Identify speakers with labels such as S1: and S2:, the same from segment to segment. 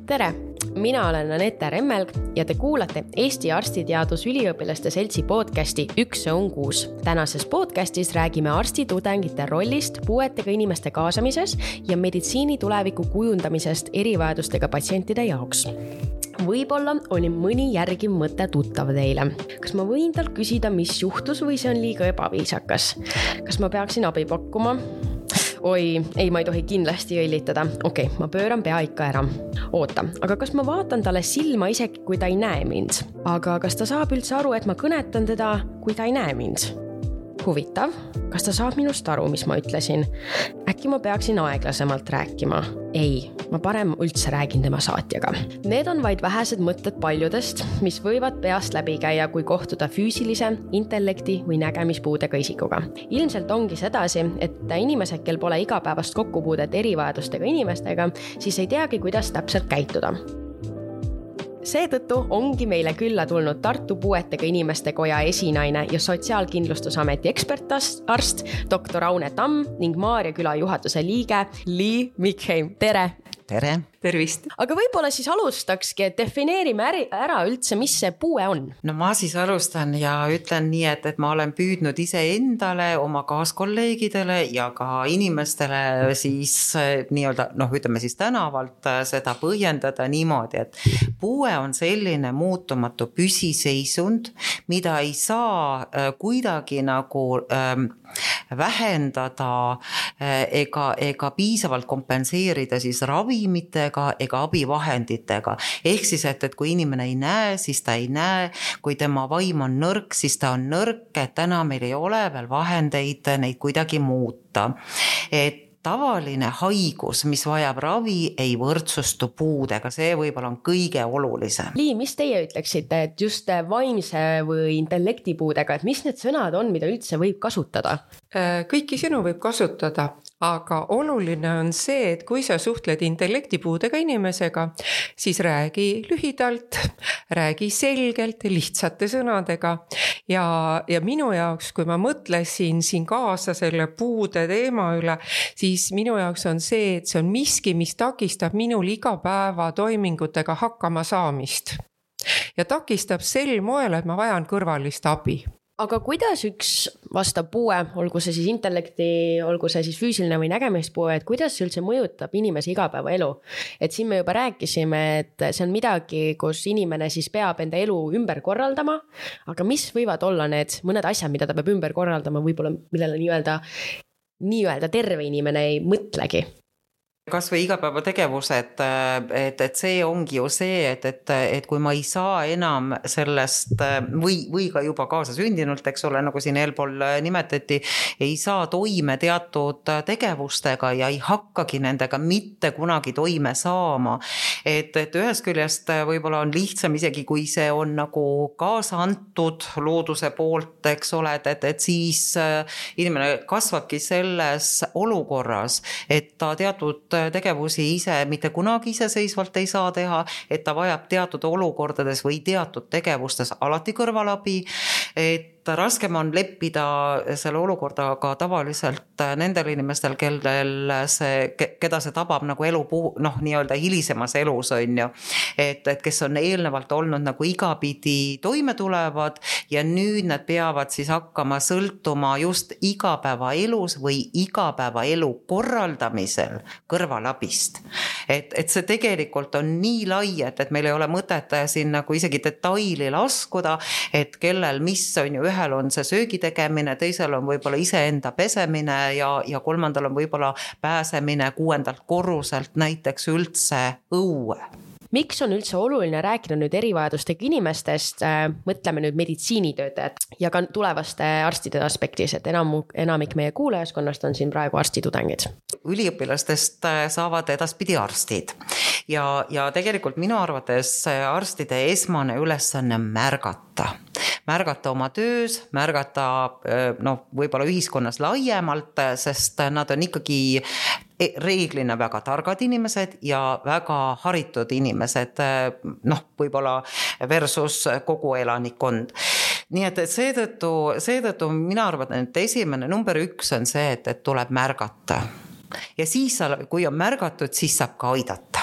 S1: Tere! Mina olen Anette Remmelg ja te kuulate Eesti Arstiteadusüliõpilaste Seltsi podcasti Üks on 6. Tänases podcastis räägime arstitudengite rollist puuetega inimeste kaasamises ja meditsiini tuleviku kujundamisest erivajadustega patsientide jaoks. Võib-olla oli mõni järgiv mõte tuttav teile. Kas ma võin tal küsida, mis juhtus või see on liiga ebaviisakas? Kas ma peaksin abi pakkuma? Oi, ei, ma ei tohi kindlasti õilitada. Okei, ma pööran pea ikka ära. Oota, aga kas ma vaatan talle silma isegi, kui ta ei näe mind? Aga kas ta saab üldse aru, et ma kõnetan teda, kui ta ei näe mind? Huvitav, kas ta saab minust aru, mis ma ütlesin? Äkki ma peaksin aeglasemalt rääkima? Ei, ma parem üldse räägin tema saatjaga. Need on vaid vähesed mõtted paljudest, mis võivad peast läbi käia, kui kohtuda füüsilise, intellekti või nägemispuudega isikuga. Ilmselt ongi sedasi, et inimesed, kel pole igapäevast kokkupuudet erivajadustega inimestega, siis ei teagi, kuidas täpselt käituda. Seetõttu ongi meile külla tulnud Tartu puuetega inimeste koja esinaine ja Sotsiaalkindlustusameti ekspertarst Dr. Aune Tamm ning Maarja küla juhatuse liige Lee Mikheim. Tere!
S2: Tere!
S3: Tervist!
S1: Aga võib-olla siis alustakski, et defineerime ära üldse, mis see puue on.
S2: No ma siis alustan ja ütlen nii, et ma olen püüdnud ise endale, oma kaaskolleegidele ja ka inimestele siis nii-öelda, ütleme siis tänavalt seda põhjendada niimoodi, et puue on selline muutumatu püsiseisund, mida ei saa kuidagi nagu vähendada ega piisavalt kompenseerida siis ravimitega ega abivahenditega. Ehk siis, et kui inimene ei näe, siis ta ei näe, kui tema vaim on nõrk, siis ta on nõrk, et täna meil ei ole veel vahendeid neid kuidagi muuta. Et tavaline haigus, mis vajab ravi, ei võrdsustu puudega. See võib-olla on kõige olulisem.
S1: Lii, mis teie ütleksite, et just vaimse või intellektipuudega, et mis need sõnad on, mida üldse võib kasutada?
S3: Kõiki sõnu võib kasutada, aga oluline on see, et kui sa suhtled intellektipuudega inimesega, siis räägi lühidalt, räägi selgelt, lihtsate sõnadega ja minu jaoks, kui ma mõtlesin siin kaasa selle puude teema üle, siis minu jaoks on see, et see on miski, mis takistab minul igapäeva toimingutega hakkama saamist ja takistab sel moel, et ma vajan kõrvalist abi.
S1: Aga kuidas üks vastav puue, olgu see siis intellekti, olgu see siis füüsiline või nägemispuue, et kuidas see üldse mõjutab inimese igapäevaelu? Et siin me juba rääkisime, et see on midagi, kus inimene siis peab enda elu ümber korraldama, aga mis võivad olla need mõned asjad, mida ta peab ümber korraldama, võib-olla millele nii-öelda terve inimene ei mõtlegi?
S2: Kas või igapäeva tegevus, et see ongi ju see, et kui ma ei saa enam sellest või ka juba kaasasündinult, eks ole, nagu siin eelpool nimetati, ei saa toime teatud tegevustega ja ei hakkagi nendega mitte kunagi toime saama. Et ühest küljest võib-olla on lihtsam isegi, kui see on nagu kaasa antud looduse poolt, eks ole, et siis inimene kasvabki selles olukorras, et ta teatud tegevusi ise mitte kunagi iseseisvalt ei saa teha, et ta vajab teatud olukordades või teatud tegevustes alati kõrvalabi, et raskem on leppida selle olukordaga tavaliselt nendel inimestel, keda see tabab nagu elu nii-öelda hilisemas elus on ju, et kes on eelnevalt olnud nagu igapidi toime tulevad ja nüüd nad peavad siis hakkama sõltuma just igapäevaelus või igapäevaelu korraldamisel kõrvalabist. Et see tegelikult on nii lai, et meil ei ole mõtet siin nagu isegi detaili laskuda, et kellel mis on ju ühel on see söögi tegemine, teisel on võib-olla iseenda pesemine ja kolmandal on võib-olla pääsemine 6. korruselt näiteks üldse õue.
S1: Miks on üldse oluline rääkida nüüd erivajadustega inimestest, mõtleme nüüd meditsiinitöötajad ja ka tulevaste arstide aspektis, et enamik meie kuulajaskonnast on siin praegu arstitudengid?
S2: Üliõpilastest saavad edaspidi arstid ja tegelikult minu arvates arstide esmane ülesanne märgata oma töös, märgata võib-olla ühiskonnas laiemalt, sest nad on ikkagi reeglina väga targad inimesed ja väga haritud inimesed, võib-olla versus kogu elanikkond. Nii et seetõttu mina arvan, et esimene number 1 on see, et tuleb märgata. Ja siis, kui on märgatud, siis saab ka aidata.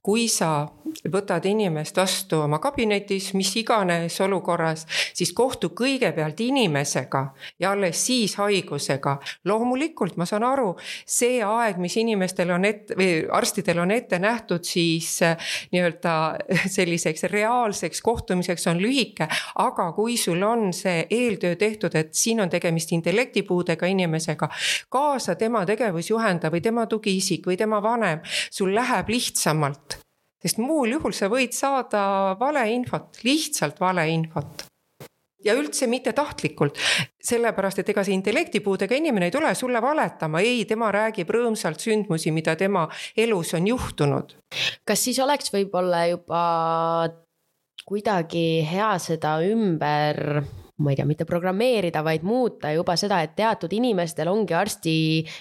S3: kui sa võtad inimest vastu oma kabinetis, mis iganes olukorras, siis kohtu kõigepealt inimesega ja alles siis haigusega. Loomulikult ma saan aru, see aeg, mis inimestel on või arstidel on ette nähtud, siis nii-öelda selliseks reaalseks kohtumiseks on lühike, aga kui sul on see eeltöö tehtud, et siin on tegemist intellektipuudega inimesega, kaasa tema tegevusjuhenda või tema tugiisik või tema vanem, sul läheb lihtsamalt. Sest muul juhul sa võid saada valeinfot, lihtsalt valeinfot. Ja üldse mitte tahtlikult, sellepärast, et ega see intellektipuudega inimene ei tule sulle valetama, ei, tema räägib rõõmsalt sündmusi, mida tema elus on juhtunud.
S1: Kas siis oleks võib-olla juba kuidagi hea seda ümber, ma ei tea, mitte programmeerida, vaid muuta juba seda, et teatud inimestel ongi arsti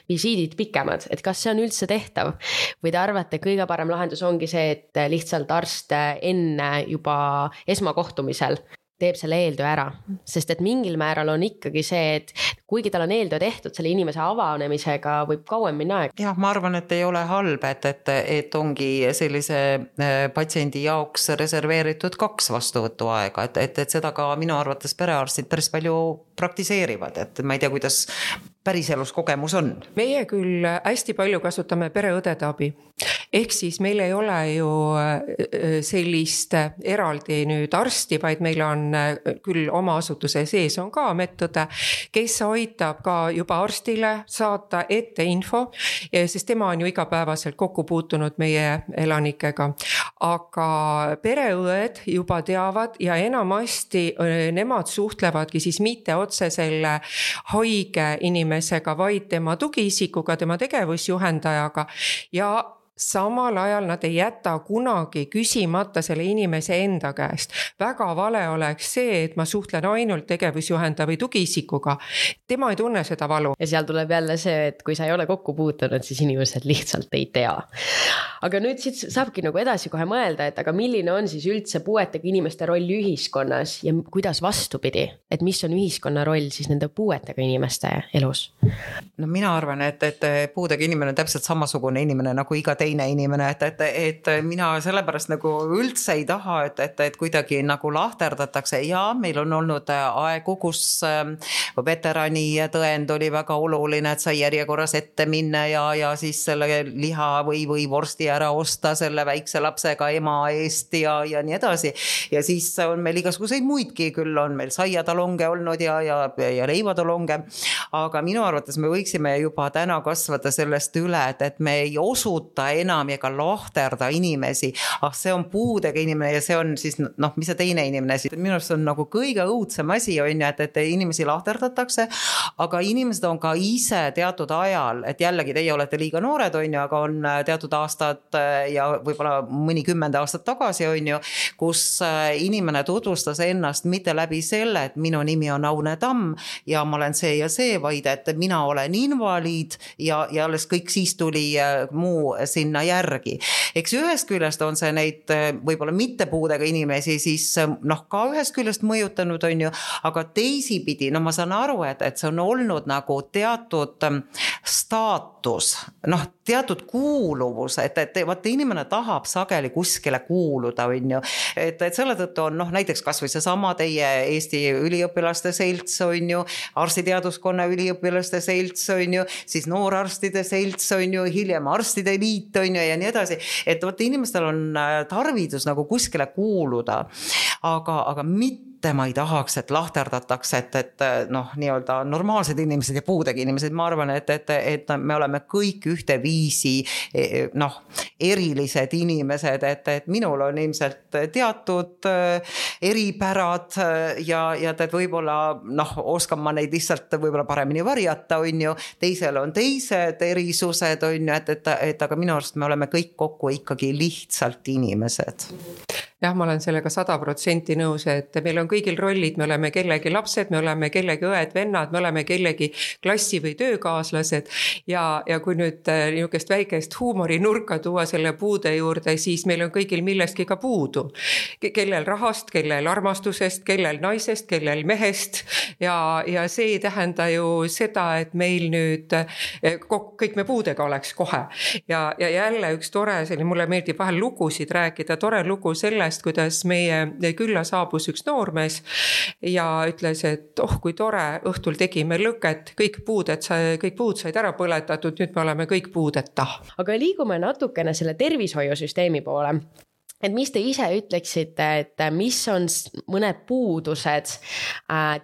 S1: visiidid pikemad, et kas see on üldse tehtav? Või te arvate, kõige parem lahendus ongi see, et lihtsalt arst enne juba esmakohtumisel teeb selle eeltöö ära, sest et mingil määral on ikkagi see, et kuigi tal on eeltöö tehtud, selle inimese avanemisega võib kauem minna aeg.
S2: Jah, ma arvan, et ei ole halb, et ongi sellise patsiendi jaoks reserveeritud 2 vastuvõtu aega, et seda ka minu arvates perearstid päris palju praktiseerivad, et ma ei tea, kuidas päriselus kogemus on.
S3: Meie küll hästi palju kasutame pereõdede abi. Ehk siis meil ei ole ju sellist eraldi nüüd arsti, vaid meil on küll oma asutuse sees on ka medõde, kes aitab ka juba arstile saata ette info, sest tema on ju igapäevaselt kokku puutunud meie elanikega. Aga pereõed juba teavad ja enamasti nemad suhtlevadki siis mitte otse selle haige inimesega, vaid tema tugiisikuga, tema tegevusjuhendajaga ja samal ajal nad ei jäta kunagi küsimata selle inimese enda käest. Väga vale oleks see, et ma suhtlen ainult tegevusjuhenda või tugiisikuga. Tema ei tunne seda valu.
S1: Ja seal tuleb jälle see, et kui sa ei ole kokku puutunud, siis inimesed lihtsalt ei tea. Aga nüüd siit saabki nagu edasi kohe mõelda, et aga milline on siis üldse puuetega inimeste roll ühiskonnas ja kuidas vastupidi, et mis on ühiskonna roll siis nende puuetega inimeste elus?
S2: No mina arvan, et puudega inimene on täpselt samasugune inimene nagu iga teine inimene, et mina sellepärast nagu üldse ei taha, et kuidagi nagu lahterdatakse ja meil on olnud aegu, kus veterani tõend oli väga oluline, et sai järjekorras ette minna ja siis selle liha või vorsti ära osta selle väikse lapsega ema eest ja nii edasi. Ja siis on meil igasuguseid muidki, küll on meil saiatalonge olnud ja leivatalonge, aga minu arvates me võiksime juba täna kasvada sellest üle, et me ei osuta enam ja ka lahterda inimesi, see on puudega inimene ja see on siis, mis see teine inimene siis, minu arust on nagu kõige õudsem asi on ju, et inimesi lahterdatakse, aga inimesed on ka ise teatud ajal, et jällegi teie olete liiga noored on ju, aga on teatud aastad ja võib-olla mõni 10 aastat tagasi on ju, kus inimene tutvustas ennast mitte läbi selle, et minu nimi on Aune Tamm ja ma olen see ja see, vaid et mina olen invaliid ja alles kõik siis tuli muu sinna järgi. Eks ühest küljest on see neid võib-olla mitte puudega inimesi siis ka ühest küljest mõjutanud on ju, aga teisipidi, ma saan aru, et see on olnud nagu teatud staatus, teatud kuuluvus, et vaata inimene tahab sageli kuskile kuuluda on ju, et selle tõttu on näiteks kas või see sama teie Eesti üliõpilaste selts on ju, arstiteaduskonna üliõpilaste selts on ju, siis noorarstide selts on ju, hiljem arstide liit on ju ja nii edasi, et vaata inimestel on tarvidus nagu kuskile kuuluda, aga mitte ma ei tahaks, et lahterdatakse, et nii-öelda normaalsed inimesed ja puudega inimesed, ma arvan, et me oleme kõik ühte viisi erilised inimesed, et minul on ilmselt teatud eripärad ja võib-olla oskan ma neid lihtsalt võib-olla paremini varjata on ju, teisel on teised erisused on ju, et aga minu arust me oleme kõik kokku ikkagi lihtsalt inimesed.
S3: jah, ma olen sellega 100% nõus, et meil on kõigil rollid, me oleme kellegi lapsed, me oleme kellegi õed-vennad, me oleme kellegi klassi või töökaaslased ja kui nüüd niisugust väikest huumorinurka tuua selle puude juurde, siis meil on kõigil millestki ka puudu. Kellel rahast, kellel armastusest, kellel naisest, kellel mehest ja see ei tähenda ju seda, et meil nüüd kõik me puudega oleks kohe. Ja jälle üks tore, mulle meeldib vahel lugusid rääkida, tore lugu sellest, kuidas meie külla saabus üks noormees ja ütles, et kui tore, õhtul tegime lõket, kõik puud said ära põletatud, nüüd me oleme kõik puudeta.
S1: Aga liigume natukene selle tervishoiusüsteemi poole. Et mis te ise ütleksite, et mis on mõned puudused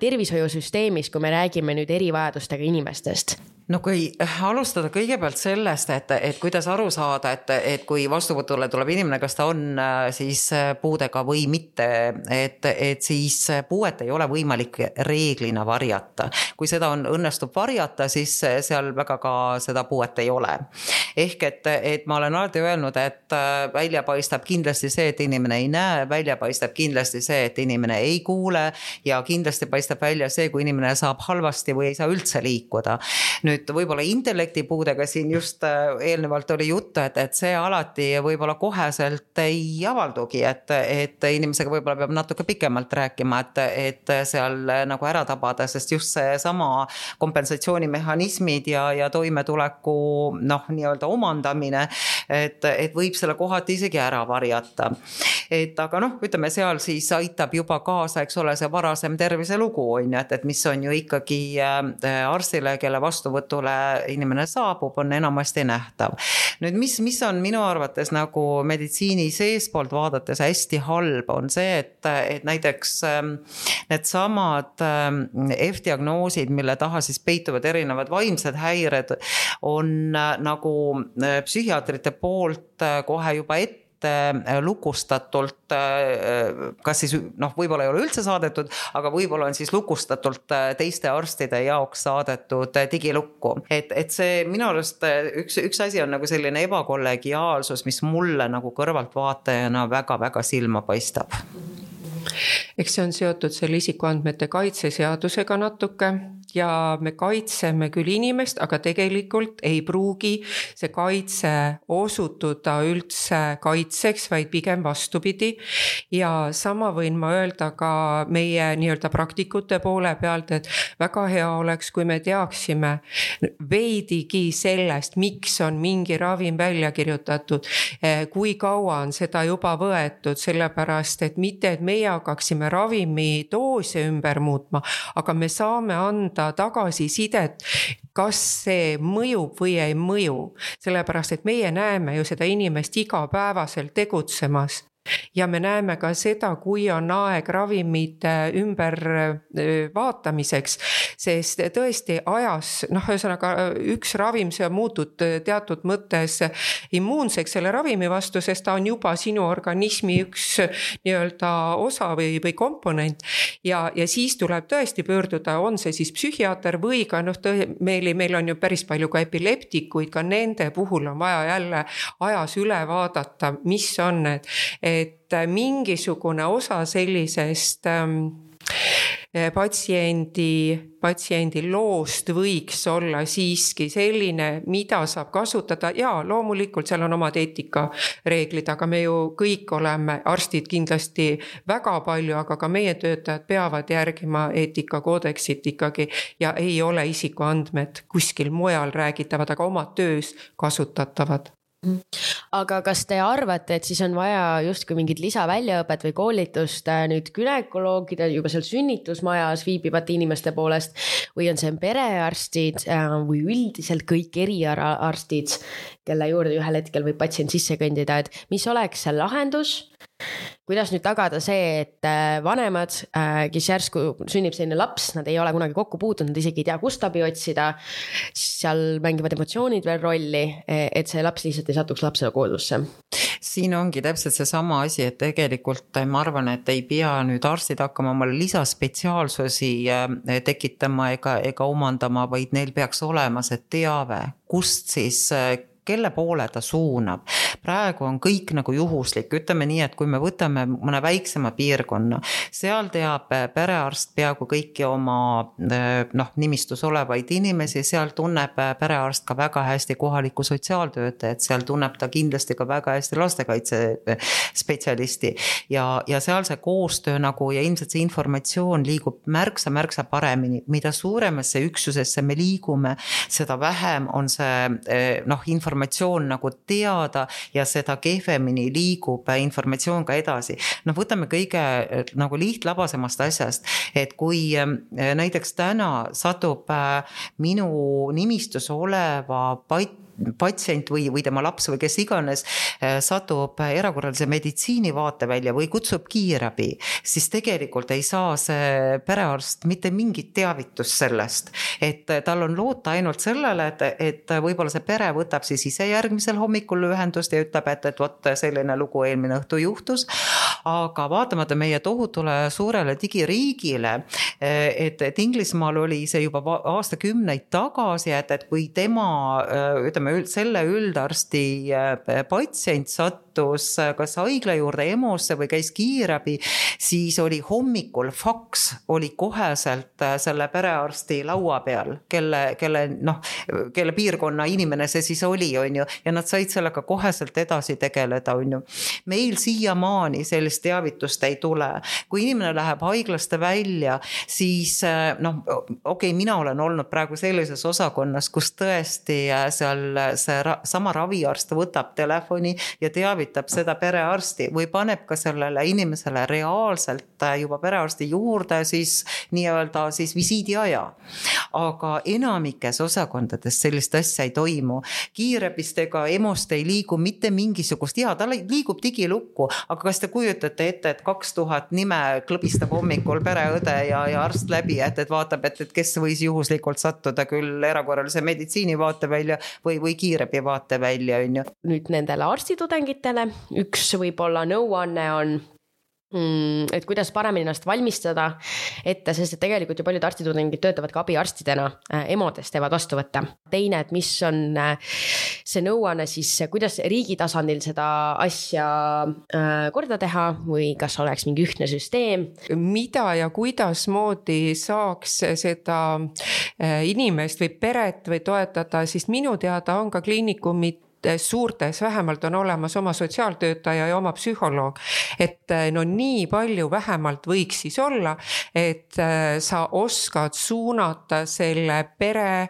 S1: tervishoiusüsteemis, kui me räägime nüüd erivajadustega inimestest?
S2: No kui alustada kõigepealt sellest, et kuidas aru saada, et kui vastuvõtule tuleb inimene, kas ta on siis puudega või mitte, et siis puuet ei ole võimalik reeglina varjata. Kui seda õnnestub varjata, siis seal väga ka seda puuet ei ole. Ehk et ma olen alati öelnud, et välja paistab kindlasti see, et inimene ei näe, välja paistab kindlasti see, et inimene ei kuule ja kindlasti paistab välja see, kui inimene saab halvasti või ei saa üldse liikuda. Nüüd võib-olla intellektipuudega siin just eelnevalt oli juttu, et see alati võib-olla koheselt ei avaldugi, et inimesega võib-olla peab natuke pikemalt rääkima, et seal nagu ära tabada, sest just see sama kompensatsioonimehhanismid ja toimetuleku nii-öelda omandamine, et võib selle kohati isegi ära varjata. Aga ütleme seal siis aitab juba kaasa, eks ole, see varasem terviselugu on, et mis on ju ikkagi arstile, kelle vastuvõtule inimene saabub, on enamasti nähtav. Nüüd, mis on minu arvates nagu meditsiini seespoolt vaadates hästi halb, on see, et näiteks need samad F-diagnoosid, mille taha siis peituvad erinevad vaimsed häired, on nagu psühhiaatrite poolt kohe juba ette lukustatult, kas siis võib-olla ei ole üldse saadetud, aga võib-olla on siis lukustatult teiste arstide jaoks saadetud digilukku. Et see minu arust üks asi on nagu selline ebakollegiaalsus, mis mulle nagu kõrvaltvaatajana väga-väga silma paistab.
S3: Eks see on seotud selle isikuandmete kaitseseadusega natuke ja me kaitseme küll inimest, aga tegelikult ei pruugi see kaitse osutuda üldse kaitseks, vaid pigem vastupidi. Ja sama võin ma öelda ka meie nii-öelda praktikute poole pealt, et väga hea oleks, kui me teaksime veidigi sellest, miks on mingi ravim välja kirjutatud, kui kaua on seda juba võetud, sellepärast, et mitte, et meie hakkaksime ravimi doose ümber muutma, aga me saame anda tagasisidet, kas see mõjub või ei mõju, sellepärast, et meie näeme ju seda inimest igapäevaselt tegutsemas. Ja me näeme ka seda, kui on aeg ravimite ümber vaatamiseks, sest tõesti ajas, ühesõnaga üks ravim, see on muutud teatud mõttes immuunseks selle ravimi vastu, sest ta on juba sinu organismi üks nii-öelda osa või komponent ja siis tuleb tõesti pöörduda, on see siis psühhiaater või ka meil on ju päris palju ka epileptikuid, ka nende puhul on vaja jälle ajas üle vaadata, mis on need, et mingisugune osa sellisest patsiendi loost võiks olla siiski selline, mida saab kasutada ja loomulikult seal on omad eetikareeglid, aga me ju kõik oleme arstid kindlasti väga palju, aga ka meie töötajad peavad järgima eetikakoodeksit ikkagi ja ei ole isikuandmed kuskil mujal räägitavad, aga oma töös kasutatavad.
S1: Aga kas te arvate, et siis on vaja justkui mingit lisaväljaõpet või koolitust nüüd gynekoloogide juba seal sünnitusmajas viibivate inimeste poolest või on see perearstid või üldiselt kõik eriarstid, kelle juurde ühel hetkel võib patsient sisse kõndida, et mis oleks see lahendus? Kuidas nüüd tagada see, et vanemad, kes järsku sünnib selline laps, nad ei ole kunagi kokku puutunud, nad isegi ei tea, kust abi otsida, seal mängivad emotsioonid veel rolli, et see laps lihtsalt ei satuks lapsele koodusse?
S2: Siin ongi täpselt see sama asi, et tegelikult ma arvan, et ei pea nüüd arstid hakkama omale lisaspetsiaalsusi tekitama ega omandama, vaid neil peaks olema see teave, kust siis kelle poole ta suunab. Praegu on kõik nagu juhuslik, ütleme nii, et kui me võtame mõne väiksema piirkonna, seal teab perearst peaaegu kõiki oma nimistus olevaid inimesi, seal tunneb perearst ka väga hästi kohalikku sotsiaaltöötajat, seal tunneb ta kindlasti ka väga hästi lastekaitse spetsialisti ja seal see koostöö nagu ja ilmselt see informatsioon liigub märksa paremini, mida suuremasse üksusesse me liigume, seda vähem on see informatsioon nagu teada ja seda kehvemini liigub informatsioon ka edasi. Võtame kõige nagu lihtlabasemast asjast, et kui näiteks täna satub minu nimistus oleva patsient või tema laps või kes iganes satub erakorralise meditsiini vaatevälja või kutsub kiirabi, siis tegelikult ei saa see perearst mitte mingit teavitust sellest, et tal on loota ainult sellele, et võib-olla see pere võtab siis ise järgmisel hommikul ühendust ja ütleb, et vot selline lugu eelmine õhtu juhtus, aga vaatamata meie tohutule suurele digiriigile, et Inglismaal oli see juba aastakümneid tagasi, et kui tema selle üldarsti patsient sattus kas haigla juurde EMO-sse või käis kiirabi, siis oli hommikul faks oli koheselt selle perearsti laua peal, kelle piirkonna inimene see siis oli, on ju, ja nad said sellega koheselt edasi tegeleda, on ju. Meil siiamaani sellist teavitust ei tule. Kui inimene läheb haiglast välja, siis mina olen olnud praegu sellises osakonnas, kus tõesti seal see sama raviarst võtab telefoni ja teavitab seda perearsti või paneb ka sellele inimesele reaalselt juba perearsti juurde siis nii-öelda siis visiidi aja. Aga enamikes osakondades sellist asja ei toimu. Kiirabist ega EMO-st ei liigu mitte mingisugust, ta liigub digilukku, aga kas te kujutate ette, et 2000 nime klõbistab hommikul pereõde ja arst läbi, et vaatab, et kes võis juhuslikult sattuda küll erakorralise meditsiini vaatevälja või kiirabi vaatevälja, on ju.
S1: Nüüd nendele arstitudengitele üks võib-olla nõuanne on, et kuidas paremini ennast valmistada ette, sest et tegelikult ju paljud arstitudengid töötavad ka abiarstidena, EMO-des teevad vastuvõtte. Teine, et mis on see nõuanne siis, kuidas riigi tasandil seda asja korda teha või kas oleks mingi ühtne süsteem?
S3: Mida ja kuidas moodi saaks seda inimest või peret või toetada, siis minu teada on ka kliinikumid suurtes vähemalt on olemas oma sotsiaaltöötaja ja oma psühholoog, et nii palju vähemalt võiks siis olla, et sa oskad suunata selle pere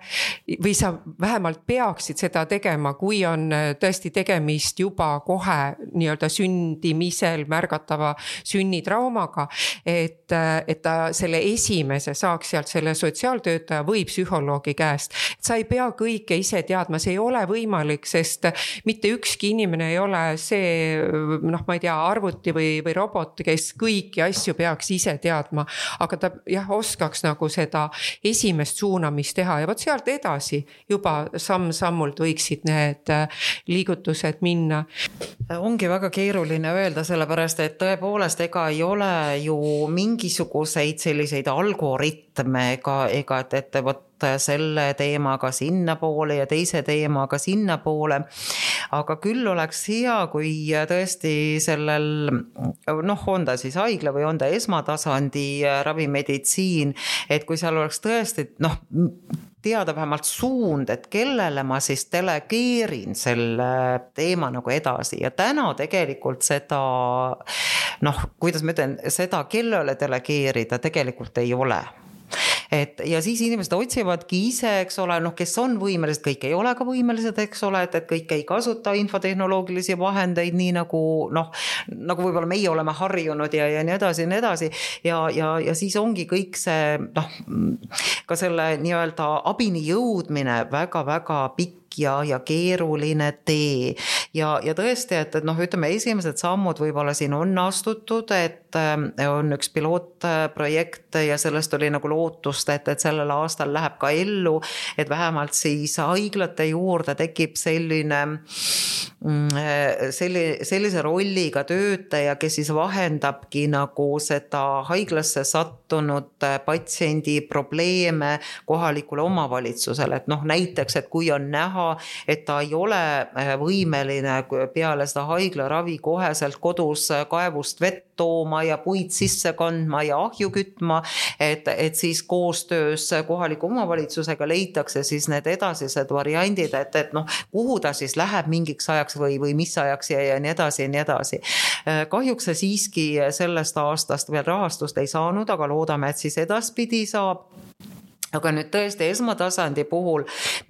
S3: või sa vähemalt peaksid seda tegema, kui on tõesti tegemist juba kohe nii-öelda sündimisel märgatava sünnitraumaga, et ta selle esimese saaks sealt selle sotsiaaltöötaja või psühholoogi käest. Sa ei pea kõike ise teadma, see ei ole võimalik, sest mitte ükski inimene ei ole see, ma ei tea, arvuti või robot, kes kõiki asju peaks ise teadma, aga ta oskaks nagu seda esimest suunamist teha ja võt sealt edasi juba samm-sammult võiksid need liigutused minna.
S2: Ongi väga keeruline öelda, sellepärast, et tõepoolest ega ei ole ju mingisuguseid selliseid algoritme ega et võt selle teemaga sinna poole ja teise teemaga sinna poole, aga küll oleks hea, kui tõesti sellel, on ta siis haigla või on ta esmatasandi ravimeditsiin, et kui seal oleks tõesti, teada vähemalt suund, et kellele ma siis delegeerin selle teema nagu edasi ja täna tegelikult seda, kuidas ma ütlen, seda kellele delegeerida tegelikult ei ole. Ja siis inimesed otsivadki ise, eks ole, kes on võimelised, kõik ei ole ka võimelised, eks ole, et kõik ei kasuta infotehnoloogilisi vahendeid nii nagu võib-olla meie oleme harjunud ja nii edasi ja siis ongi kõik see ka selle nii-öelda abini jõudmine väga-väga pikk ja keeruline tee ja tõesti, et ütleme, esimesed sammud võib-olla siin on astutud, et on üks pilootprojekt ja sellest oli nagu lootust, et sellel aastal läheb ka ellu, et vähemalt siis haiglate juurde tekib sellise rolliga töötaja, kes siis vahendabki nagu seda haiglasse sattunud patsiendi probleeme kohalikule omavalitsusele, et näiteks, et kui on näha, näha, et ta ei ole võimeline peale seda haiglaravi koheselt kodus kaevust vett tooma ja puid sisse kandma ja ahju kütma, et siis koostöös kohaliku omavalitsusega leitakse siis need edasised variandid, et noh, kuhu ta siis läheb mingiks ajaks või mis ajaks ja nii edasi ja nii edasi. Kahjuks see siiski sellest aastast veel rahastust ei saanud, aga loodame, et siis edaspidi saab. Aga nüüd tõesti esmatasandi puhul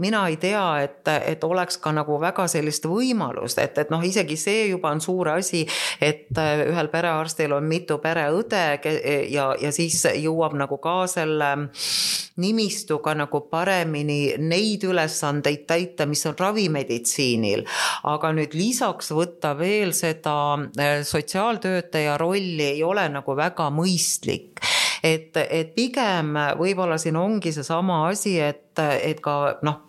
S2: mina ei tea, et oleks ka nagu väga sellist võimalust, et noh, isegi see juba on suur asi, et ühel perearstil on mitu pereõde ja siis jõuab nagu ka selle nimistuga nagu paremini neid ülesandeid täita, mis on ravimeditsiinil. Aga nüüd lisaks võtta veel seda sotsiaaltöötaja rolli ei ole nagu väga mõistlik. Et pigem võib-olla siin ongi see sama asi, et ka noh,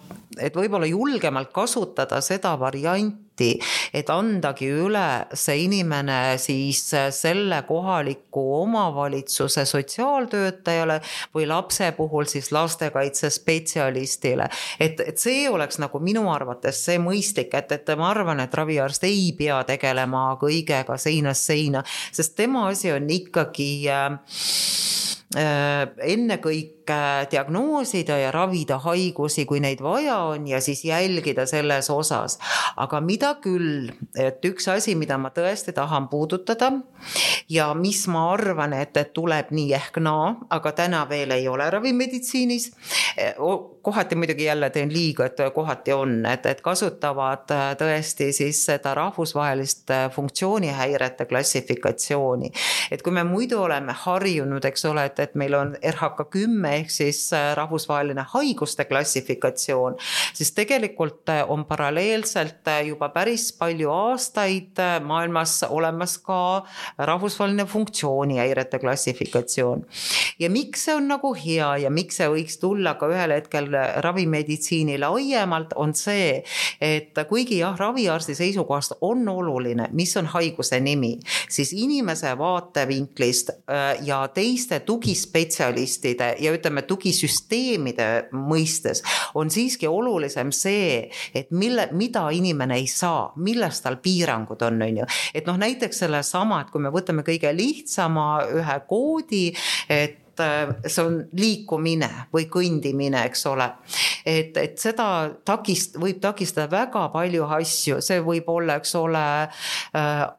S2: et võib-olla julgemalt kasutada seda varianti, et andagi üle see inimene siis selle kohaliku omavalitsuse sotsiaaltöötajale või lapse puhul siis lastekaitsespetsialistile. Et see oleks nagu minu arvates see mõistlik, et ma arvan, et raviarst ei pea tegelema kõigega seinast seina, sest tema asi on ikkagi ennekõike diagnoosida ja ravida haigusi, kui neid vaja on ja siis jälgida selles osas. Aga mida küll, et üks asi, mida ma tõesti tahan puudutada ja mis ma arvan, et tuleb nii ehk naa, aga täna veel ei ole ravimeditsiinis, kohati muidugi jälle teen liiga, et kohati on, et kasutavad tõesti siis seda rahvusvahelist funktsioonihäirete klassifikatsiooni. Et kui me muidu oleme harjunud, eks ole, et meil on RHK10 ehk siis rahvusvaheline haiguste klassifikatsioon, siis tegelikult on paralleelselt juba päris palju aastaid maailmas olemas ka rahvusvaheline funktsioonihäirete klassifikatsioon. Ja miks see on nagu hea ja miks see võiks tulla ka ühel hetkel ravimeditsiini laiemalt, on see, et kuigi jah, raviarsti seisukohast on oluline, mis on haiguse nimi, siis inimese vaatevinklist ja teiste tugispetsialistide ja ütleme tugisüsteemide mõistes on siiski olulisem see, et mida inimene ei saa, millest tal piirangud on ju. Et noh, näiteks selle sama, et kui me võtame kõige lihtsama ühe koodi, et see on liikumine või kõndimine, eks ole. Et seda võib takistada väga palju asju, see võib olla, eks ole,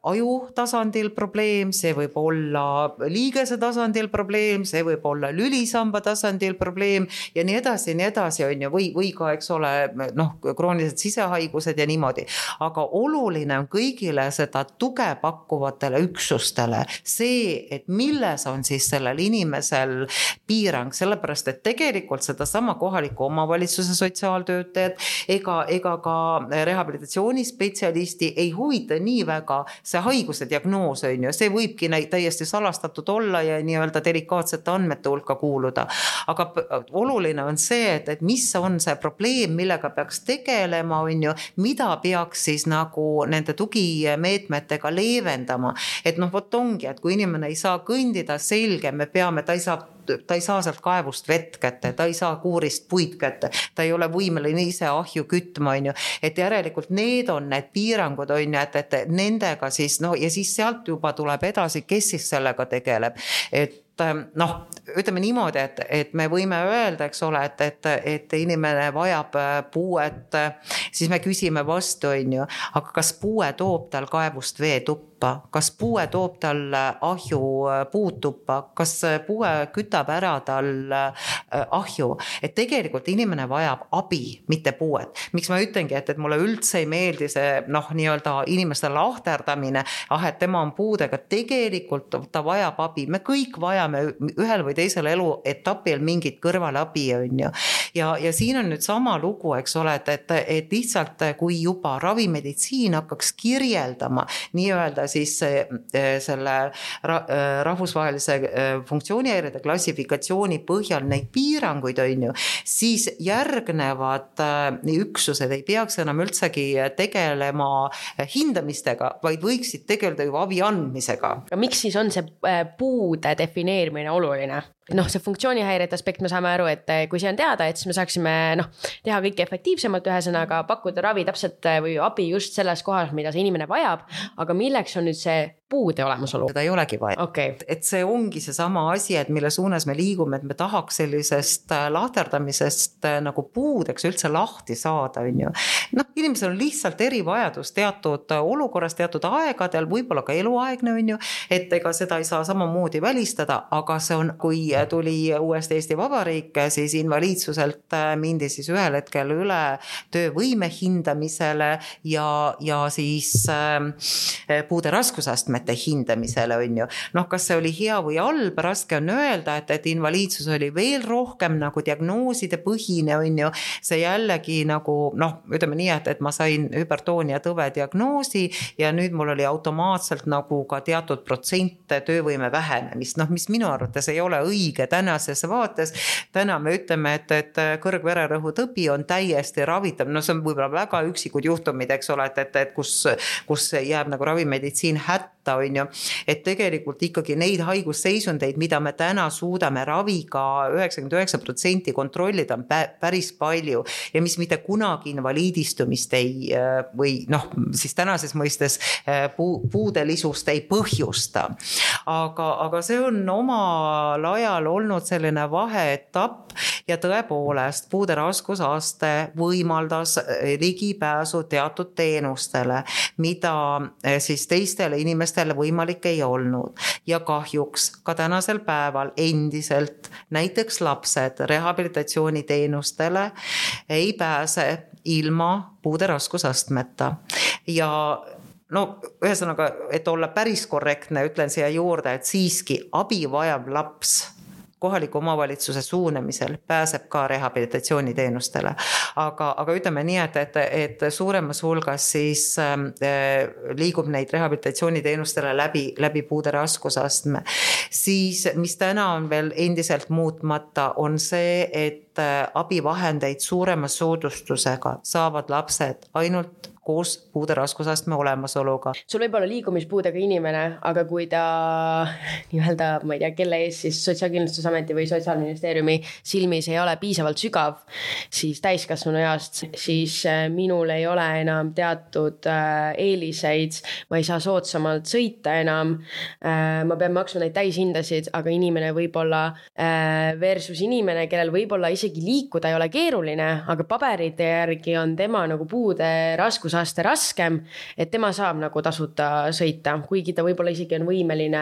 S2: aju tasandil probleem, see võib olla liigese tasandil probleem, see võib olla lülisamba tasandil probleem ja nii edasi, on ju, või ka, eks ole, noh, kroonilised sisehaigused ja niimoodi. Aga oluline on kõigile seda tuge pakkuvatele üksustele see, et milles on siis sellel inimesel piirang, sellepärast, et tegelikult seda sama kohaliku omavalitsuse sotsiaaltöötajad ega ka rehabilitatsioonispetsialisti ei huvita nii väga see haiguse diagnoos on ju, see võibki täiesti salastatud olla ja nii-öelda delikaatsete andmete hulka kuuluda. Aga oluline on see, et mis on see probleem, millega peaks tegelema, on ju, mida peaks siis nagu nende tugimeetmetega leevendama. Et noh, vot ongi, et kui inimene ei saa kõndida, selge, me peame, ta ei saa sealt kaevust vett kätte, ta ei saa kuurist puid kätte, ta ei ole võimeline ise ahju kütma, on ju. Et järelikult need on need piirangud, on ju, et nendega siis, no ja siis sealt juba tuleb edasi, kes siis sellega tegeleb. Et noh, ütleme niimoodi, et me võime öelda, eks ole, et inimene vajab puuet, siis me küsime vastu, on ju, aga kas puue toob tal kaevust veetuppa, kas puue toob tal ahju puutuppa, kas puue kütab ära tal ahju, et tegelikult inimene vajab abi, mitte puuet. Miks ma ütlengi, et mulle üldse ei meeldi see, noh, nii-öelda inimeste lahterdamine, et tema on puudega, tegelikult ta vajab abi, me kõik vajame ühel või teisel eluetapil mingit kõrvalabi, on ju. Ja siin on nüüd sama lugu, eks ole, et lihtsalt kui juba ravimeditsiin hakkaks kirjeldama nii-öelda siis selle rahvusvahelise funktsioonihäirete klassifikatsiooni põhjal neid piiranguid, on ju, siis järgnevad üksused ei peaks enam üldsegi tegelema hindamistega, vaid võiksid tegeleda juba abi andmisega.
S1: Miks siis on see puude defineerimine oluline? see funktsioonihäirete aspekt, me saame aru, et kui see on teada, et siis me saaksime teha kõike efektiivsemalt, ühesõnaga pakkuda ravi täpselt või abi just selles kohas, mida see inimene vajab, aga milleks on nüüd see puude olemasolu?
S2: Seda ei olegi vaja.
S1: Okay.
S2: Et see ongi see sama asi, et mille suunas me liigume, et me tahaks sellisest lahterdamisest nagu puudeks üldse lahti saada, on ju. Inimesel on lihtsalt erivajadus teatud olukorras, teatud aegadel, võib-olla ka eluaegne, on ju, et ega seda ei saa samamoodi välistada, aga see on, kui tuli uuesti Eesti Vabariik, siis invaliidsuselt mindi siis ühel hetkel üle töövõime hindamisele ja siis puude raskusastmete hindamisele, on ju. Kas see oli hea või halb, raske on öelda, et invaliidsus oli veel rohkem nagu diagnooside põhine, on ju. See jällegi nagu, ütleme nii, et ma sain hüpertoonia tõve diagnoosi ja nüüd mul oli automaatselt nagu ka teatud protsent töövõime vähenemist, mis minu arvates ei ole õige tänases vaates. Täna me ütleme, et kõrgvererõhu tõbi on täiesti ravitav, see on võib-olla väga üksikud juhtumid, eks ole, et kus jääb nagu ravimeditsiin hätta, on ju, et tegelikult ikkagi neid haigusseisundeid, mida me täna suudame raviga 99% kontrollida, on päris palju ja mis mitte kunagi invaliidistumist ei, või siis tänases mõistes puudelisust ei põhjusta. Aga see on omal ajal olnud selline vaheetapp ja tõepoolest puude raskusaste võimaldas ligipääsu teatud teenustele, mida siis teistele inimestele võimalik ei olnud. Ja kahjuks ka tänasel päeval endiselt näiteks lapsed rehabilitatsiooniteenustele ei pääse ilma puude raskusastmeta. Ja ühesõnaga, et olla päris korrektne, ütlen siia juurde, et siiski abi vajav laps kohaliku omavalitsuse suunamisel pääseb ka rehabilitatsiooniteenustele. Aga ütleme nii, et suuremas hulgas siis liigub neid rehabilitatsiooniteenustele läbi puude raskusastme. Siis, mis täna on veel endiselt muutmata, on see, et abivahendeid suurema soodustusega saavad lapsed ainult koos puude raskusastme olemasoluga.
S1: Sul võib olla liikumispuudega inimene, aga kui ta nii-öelda, ma ei tea, kelle ees siis Sotsiaalkindlustusameti või Sotsiaalministeeriumi silmis ei ole piisavalt sügav, siis täiskasvanu east, siis minul ei ole enam teatud eeliseid, ma ei saa soodsamalt sõita enam, ma pean maksma neid täishindasid, aga inimene võib olla versus inimene, kellel võib olla isegi liikuda ei ole keeruline, aga paberite järgi on tema nagu puude raskusaste raskem, et tema saab nagu tasuta sõita, kuigi ta võib-olla isegi on võimeline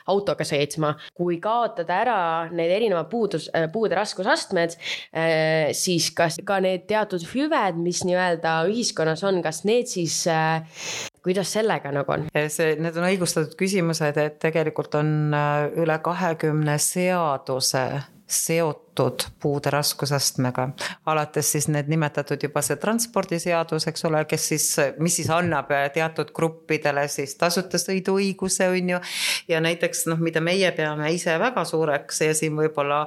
S1: autoga sõitma. Kui kaotada ära need erinevad puude raskusastmed, siis kas ka need teatud hüved, mis nii-öelda ühiskonnas on, kas need siis, kuidas sellega nagu on?
S2: Need on õigustatud küsimused, et tegelikult on üle 20 seaduse seotud puude raskusastmega. Alates siis need nimetatud juba see transpordiseadus, eks ole, mis siis annab teatud gruppidele siis tasuta sõiduõiguse, on ju. Ja näiteks, mida meie peame ise väga suureks ja siin võib-olla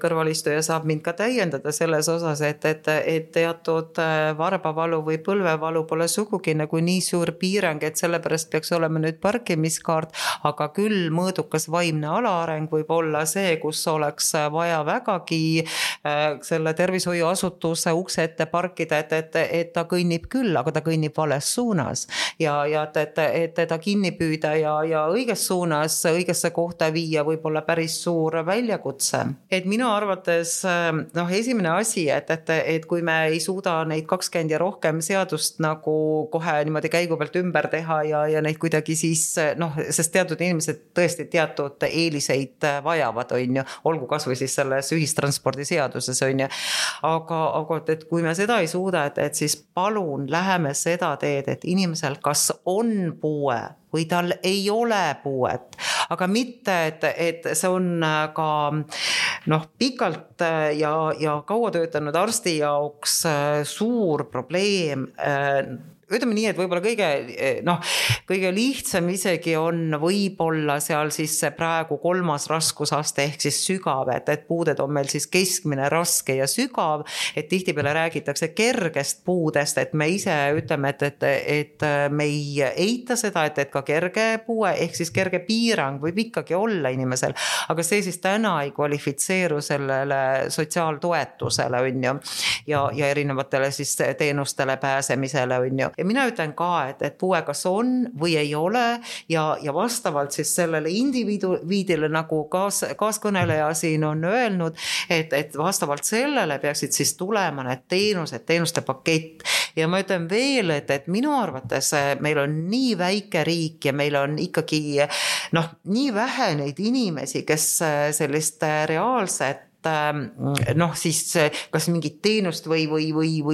S2: kõrvalistuja saab mind ka täiendada selles osas, et teatud varbavalu või põlvevalu pole sugugi nagu nii suur piirang, et sellepärast peaks olema nüüd parkimiskaart, aga küll mõõdukas vaimne alaareng võib olla see, kus oleks vaja vägagi selle tervishoiuasutuse ukse ette parkida, et ta kõnnib küll, aga ta kõnnib vales suunas ja et teda kinni püüda ja õiges suunas, õigesse kohta viia võib olla päris suur väljakutse. Et minu arvates esimene asi, et kui me ei suuda neid 20 ja rohkem seadust nagu kohe niimoodi käigu pealt ümber teha ja neid kuidagi siis, sest teatud inimesed tõesti teatud eeliseid vajavad, on ju, olgu kas või siis selles ühistranspordiseaduses, on ju. Aga et kui me seda ei suuda, et siis palun läheme seda teed, et inimesel kas on puue või tal ei ole puuet, aga mitte, et see on ka pikalt ja kaua töötanud arsti jaoks suur probleem ütleme nii, et võib-olla kõige lihtsam isegi on võib-olla seal siis praegu 3. raskusaste ehk siis sügav, et puuded on meil siis keskmine, raske ja sügav, et tihtipeale räägitakse kergest puudest, et me ise ütleme, et me ei eita seda, et ka kerge puue ehk siis kerge piirang võib ikkagi olla inimesel, aga see siis täna ei kvalifitseeru sellele sotsiaaltoetusele, on ju, ja erinevatele siis teenustele pääsemisele, on ju. Ja mina ütlen ka, et puue kas on või ei ole ja vastavalt siis sellele indiviidile, nagu kaaskõneleja siin on öelnud, et vastavalt sellele peaksid siis tulema need teenuste pakett. Ja ma ütlen veel, et minu arvates meil on nii väike riik ja meil on ikkagi nii vähe neid inimesi, kes sellist reaalset siis kas mingit teenust või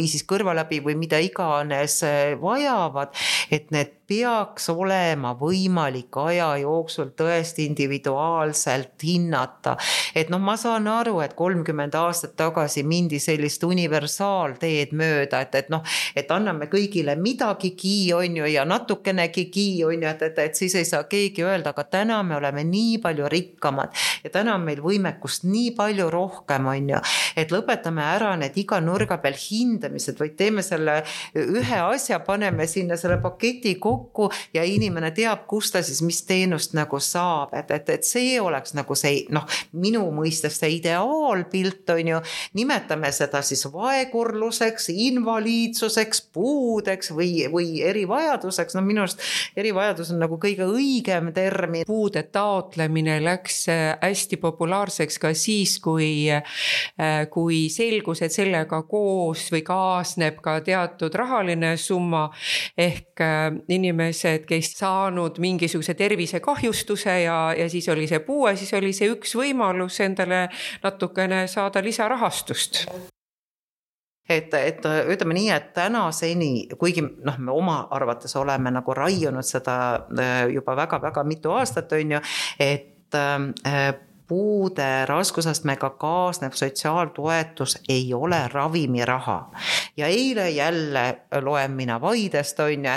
S2: siis kõrvaläbi või mida iganes vajavad, et need peaks olema võimalik aja jooksul tõesti individuaalselt hinnata. Et ma saan aru, et 30 aastat tagasi mindi sellist universaalteed mööda, et anname kõigile midagigi, on ju, ja natukenegi, on ju, et siis ei saa keegi öelda, aga täna me oleme nii palju rikkamad ja täna on meil võimekust nii palju rohkem, on ju, et lõpetame ära need iga nurga peal hindamised, vaid teeme selle ühe asja, paneme sinna selle paketi kokku ja inimene teab, kus ta siis mis teenust nagu saab, et see oleks nagu see, minu mõistes see ideaalpilt, on ju, nimetame seda siis vaegurluseks, invaliidsuseks, puudeks või erivajaduseks, minu arust erivajadus on nagu kõige õigem termin.
S3: Puude taotlemine läks hästi populaarseks ka siis, kui selgus, et sellega koos või kaasneb ka teatud rahaline summa ehk inimesed, kes saanud mingisuguse tervisekahjustuse ja siis oli see puue, siis oli see üks võimalus endale natukene saada lisarahastust.
S2: Et ütleme nii, et tänaseni, kuigi me oma arvates oleme nagu raiunud seda juba väga-väga mitu aastat, on ju, et puude raskusastmega kaasnev sotsiaaltoetus ei ole ravimiraha. Ja eile jälle loen mina Vaidest, on ju,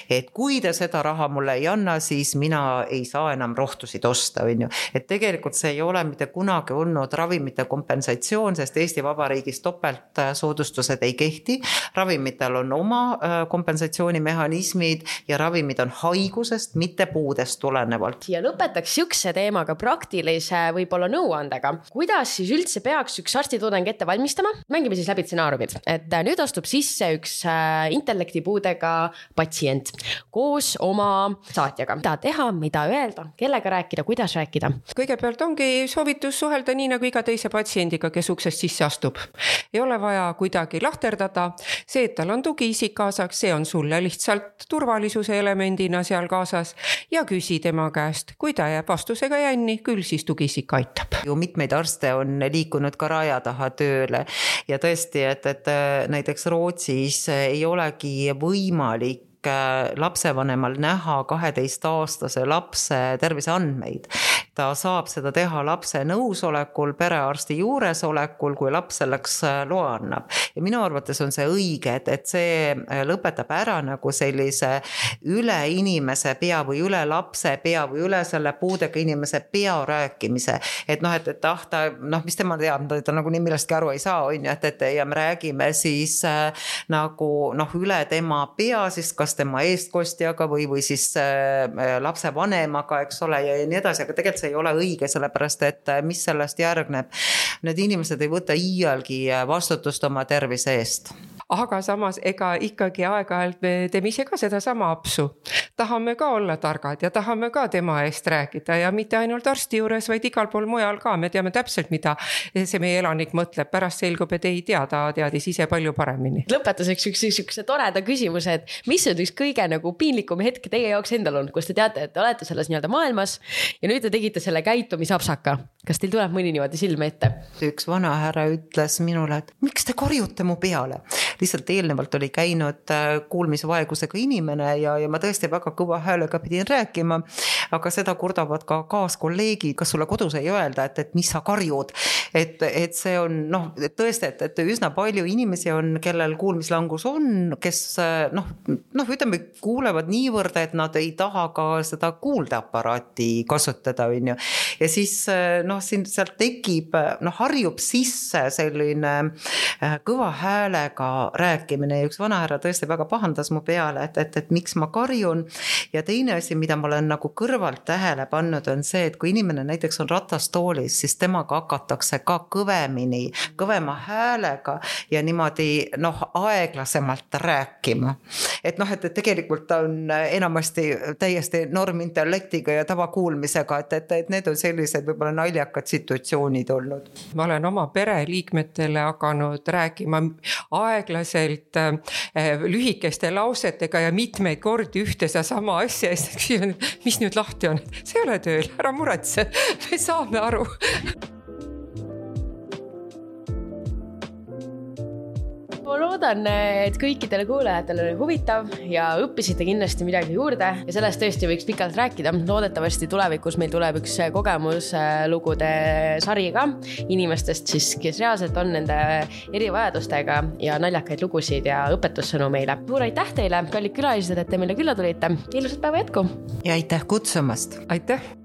S2: et kui te seda raha mulle ei anna, siis mina ei saa enam rohtusid osta, on ju. Et tegelikult see ei ole mitte kunagi olnud ravimite kompensatsioon, sest Eesti Vabariigis topeltsoodustused ei kehti. Ravimitel on oma kompensatsioonimehhanismid ja ravimid on haigusest, mitte puudest tulenevalt.
S1: Ja lõpetaks sükse teemaga praktilise võib-olla nõuandega. Kuidas siis üldse peaks üks arstitudeng ette valmistama? Mängime siis läbi stsenaariumid, et nüüd astub sisse üks intellektipuudega patsient koos oma saatjaga. Mida teha, mida öelda, kellega rääkida, kuidas rääkida?
S3: Kõigepealt ongi soovitus suhelda nii nagu iga teise patsiendiga, kes uksest sisse astub. Ei ole vaja kuidagi lahterdada. See, et tal on tugiisik kaasaks, see on sulle lihtsalt turvalisuse elemendina seal kaasas ja küsi tema käest, kui ta jääb vastusega jänni, küll siis tugiisik aitab.
S2: Ju mitmeid arste on liikunud ka raja taha tööle ja tõesti, et näiteks Rootsis ei olegi võimalik lapsevanemal näha 12-aastase lapse terviseandmeid. Ta saab seda teha lapse nõusolekul, perearsti juuresolekul, kui laps selleks loa annab. Ja minu arvates on see õige, et see lõpetab ära nagu sellise üle inimese pea või üle lapse pea või üle selle puudega inimese pea rääkimise. Et mis tema teab, ta nagu nii millestki aru ei saa, on ju, ja me räägime siis nagu üle tema pea, siis kas tema eestkostjaga või siis lapse vanemaga, eks ole, ja nii edasi, aga tegelikult see ei ole õige, sellepärast, et mis sellest järgneb. Need inimesed ei võta iialgi vastutust oma tervise eest.
S3: Aga samas ega ikkagi aeg-ajalt me teeme ise ka seda sama apsu. Tahame ka olla targad ja tahame ka tema eest rääkida ja mitte ainult arsti juures, vaid igal pool mujal ka. Me teame täpselt, mida see meie elanik mõtleb. Pärast selgub, et ei tea, ta teadis ise palju paremini.
S1: Lõpetuseks üks toreda küsimus, et mis on üks kõige nagu piinlikum hetk teie jaoks endal on, kus te teate, et te olete selles nii-öelda maailmas ja nüüd te tegite selle käitumisapsaka. Kas teil tuleb mõni niimoodi silme ette?
S2: Üks vana härra ütles minule, et miks te korjute mu peale? Lihtsalt eelnevalt oli käinud kuulmisvaegusega inimene ja ma tõesti väga kõva häälega pidin rääkima, aga seda kurdavad ka kaaskolleegid, kas sulle kodus ei öelda, et mis sa karjud. et see on tõesti, et üsna palju inimesi on, kellel kuulmislangus on, kes ütleme, kuulevad niivõrd, et nad ei taha ka seda kuuldeaparaati kasutada, on ju. Ja siis siin sealt tekib, harjub sisse selline kõva häälega rääkimine ja üks vanahärra tõesti väga pahandas mu peale, et miks ma karjun. Ja teine asi, mida ma olen nagu kõrvalt tähele pannud, on see, et kui inimene näiteks on ratastoolis, siis temaga hakatakse ka kõvema häälega ja niimoodi aeglasemalt rääkima. Et tegelikult ta on enamasti täiesti normintellektiga ja tavakuulmisega, et need on sellised võib-olla naljakad situatsioonid olnud.
S3: Ma olen oma pereliikmetele hakanud rääkima aeglaselt lühikeste lausetega ja mitmeid kordi ühte sama asja, mis nüüd lahti on? See ei ole tööl, ära muretse, me saame aru.
S1: Ma loodan, et kõikidele kuulajatele oli huvitav ja õppisite kindlasti midagi juurde ja sellest tõesti võiks pikalt rääkida. Loodetavasti tulevikus meil tuleb üks kogemuslugude sari ka inimestest, siis, kes reaalselt on nende erivajadustega ja naljakaid lugusid ja õpetussõnu meile. Suur aitäh teile, kallid külalised, et te meile külla tulite. Ilusat päeva jätku!
S2: Ja aitäh kutsumast!
S3: Aitäh!